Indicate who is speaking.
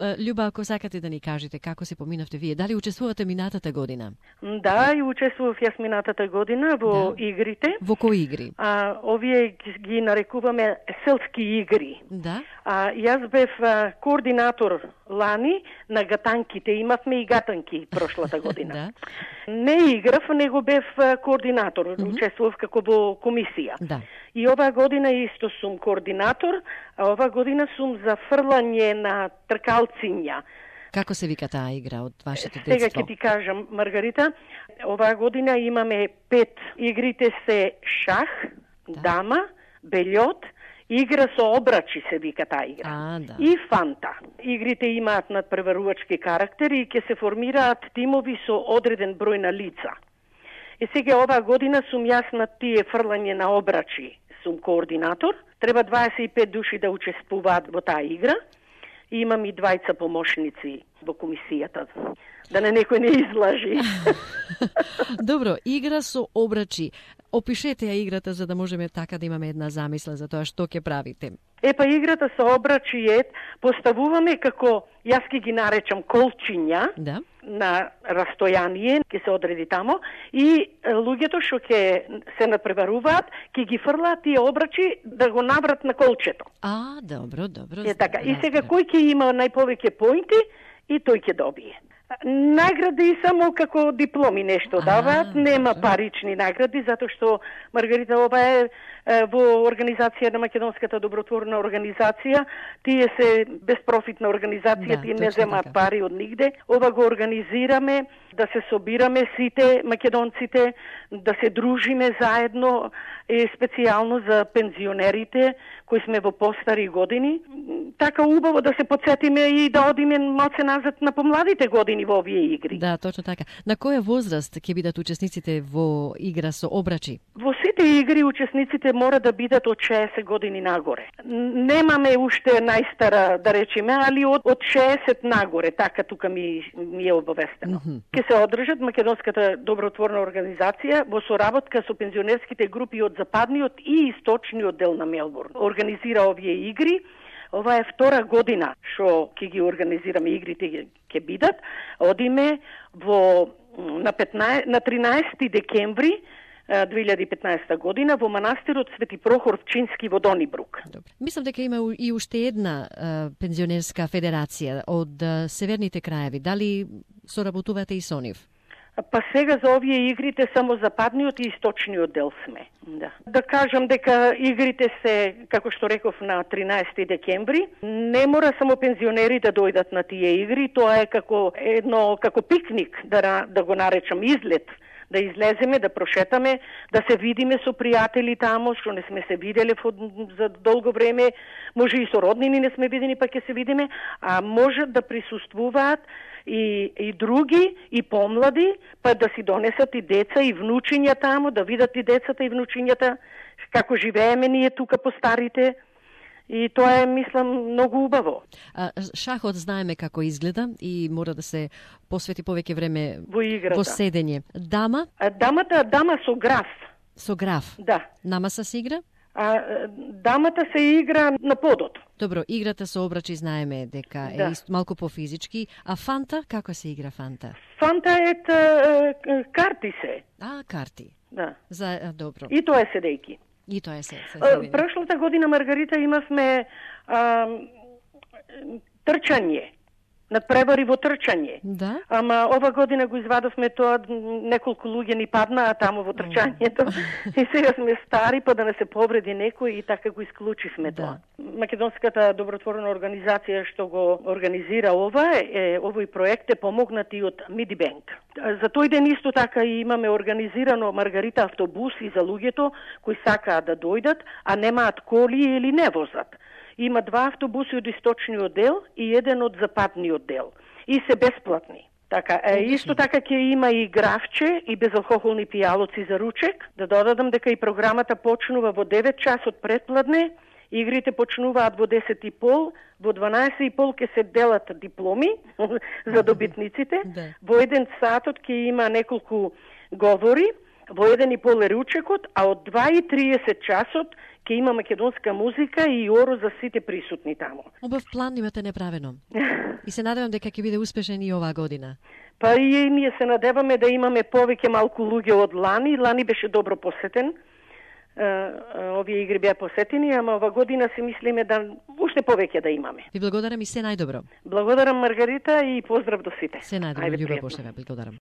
Speaker 1: Љуба, ако сакате да ни кажете како се поминавте вие, дали учествувате минатата година?
Speaker 2: Да, и учествував јас минатата година во игрите.
Speaker 1: Во кои игри?
Speaker 2: Овие ги нарекуваме селски игри.
Speaker 1: Да.
Speaker 2: Јас бев координатор лани на гатанките. Имавме и гатанки прошлата година.
Speaker 1: Да.
Speaker 2: Не играв, него бев координатор. Учествував како во комисија.
Speaker 1: Да.
Speaker 2: И оваа година исто сум координатор, а оваа година сум за фрлање на тркалциња.
Speaker 1: Како се вика таа игра од вашето детство?
Speaker 2: Сега ќе ти кажам, Маргарита, оваа година имаме 5. Игрите се шах, дама, бельот, игра со обрачи се вика таа игра.
Speaker 1: Да.
Speaker 2: И фанта. Игрите имаат надпреварувачки карактери и ќе се формираат тимови со одреден број на лица. И сега оваа година сум јас на тие фрлање на обрачи, сум координатор. Треба 25 души да учествуваат во таа игра. И имам и 2 помошници во комисијата, да некој не излажи.
Speaker 1: Добро, игра со обрачи. Опишете ја играта за да можеме така да имаме една замисла за тоа што ќе правите.
Speaker 2: Играта со обрачи поставуваме како, јас ќе ги наречам колчиња, на растојание, ќе се одреди тамо, и луѓето што ќе се надпреваруваат, ќе ги фрлаат тие обрачи да го наврат на колчето.
Speaker 1: Добро.
Speaker 2: Така. И сега кој ќе има најповеќе поинти, и тој ќе добие. Награди само како дипломи нешто даваат, нема парични награди, затоа што, Маргарита, ова е во организација на Македонската добротворна организација, тие се безпрофитна организација, тие не земаат пари од нигде. Ова го организираме да се собираме сите македонците, да се дружиме заедно, специјално за пензионерите кои сме во постари години. Така убаво да се подсетиме и да одиме малце назад на помладите години во овие игри.
Speaker 1: Да, точно така. На која возраст ќе бидат учесниците во игра со обрачи?
Speaker 2: Во сите игри учесниците мора да бидат од 60 години нагоре. Немаме уште најстара, да речеме, али од 60 нагоре, така тука ми е обавестено. Ке се одржат Македонската добротворна организација во соработка со пензионерските групи од западниот и источниот дел на Мелбурн. Организира овие игри. Ова е 2 година што ќе ги организираме игрите, ќе бидат. Одиме на 13 декември 2015 година во манастирот Свети Прохор Вчински во Донибрук.
Speaker 1: Добре. Мислам дека има и уште една пензионерска федерација од северните краеви. Дали соработувате и со нив?
Speaker 2: Па сега за овие игрите само западниот и источниот дел сме. Да кажам дека игрите се, како што реков, на 13 декември. Не мора само пензионери да дојдат на тие игри, тоа е како пикник, да го наречам, излет. Да излеземе, да прошетаме, да се видиме со пријатели тамо, што не сме се виделе за долго време, може и со роднини не сме видени, па ќе се видиме, а може да присуствуваат и други, и помлади, па да си донесат и деца, и внучиња тамо, да видат и децата, и внучињата, како живееме ние тука по старите. И тоа е, мислам, многу убаво.
Speaker 1: Шахот знаеме како изгледа и мора да се посвети повеќе време
Speaker 2: во играта.
Speaker 1: Во седење. Дама?
Speaker 2: Дама со граф.
Speaker 1: Со граф?
Speaker 2: Да.
Speaker 1: Намаса се игра?
Speaker 2: Дамата се игра на подот.
Speaker 1: Добро, играта со обрачи знаеме дека е малку пофизички, а фанта, како се игра фанта?
Speaker 2: Фанта е карти се.
Speaker 1: Карти.
Speaker 2: Да.
Speaker 1: Добро.
Speaker 2: И тоа е седејки.
Speaker 1: И тоа е се.
Speaker 2: Прошлата година, Маргарита, имавме трчање. Надпревари во трчање.
Speaker 1: Да?
Speaker 2: Ама ова година го извадовме тоа, неколку луѓе ни паднаа таму во трчањето. И сега сме стари, па да не се повреди некој и така го исклучивме тоа. Македонската добротворна организација што го организира овој проект е помогнат и од Мидибанк. За тој ден исто така и имаме организирано, Маргарита, автобуси за луѓето кои сакаат да дојдат, а немаат коли или не возат. Има 2 автобуси од источниот дел и еден од западниот дел. И се бесплатни. Така, исто така ќе има и графче и безалкохолни пијалоци за ручек. Да додадам дека и програмата почнува во 9 часот предпладне, игрите почнуваат во 10:30, во 12:30 ќе се делат дипломи за добитниците. Во 1 сатот ќе има неколку говори, во 1:30 е ручекот, а од 2:30 часот ќе има македонска музика и оро за сите присутни таму.
Speaker 1: Убав план имате направено. И се надевам дека ќе биде успешен и оваа година.
Speaker 2: Па и ние се надеваме да имаме повеќе малку луѓе од лани. Лани беше добро посетен. Овие игри беа посетени, ама ова година си мислиме да уште повеќе да имаме.
Speaker 1: Ви благодарам и се најдобро.
Speaker 2: Благодарам, Маргарита, и поздрав до сите.
Speaker 1: Се најдобро, Љуба Бошева, благодарам.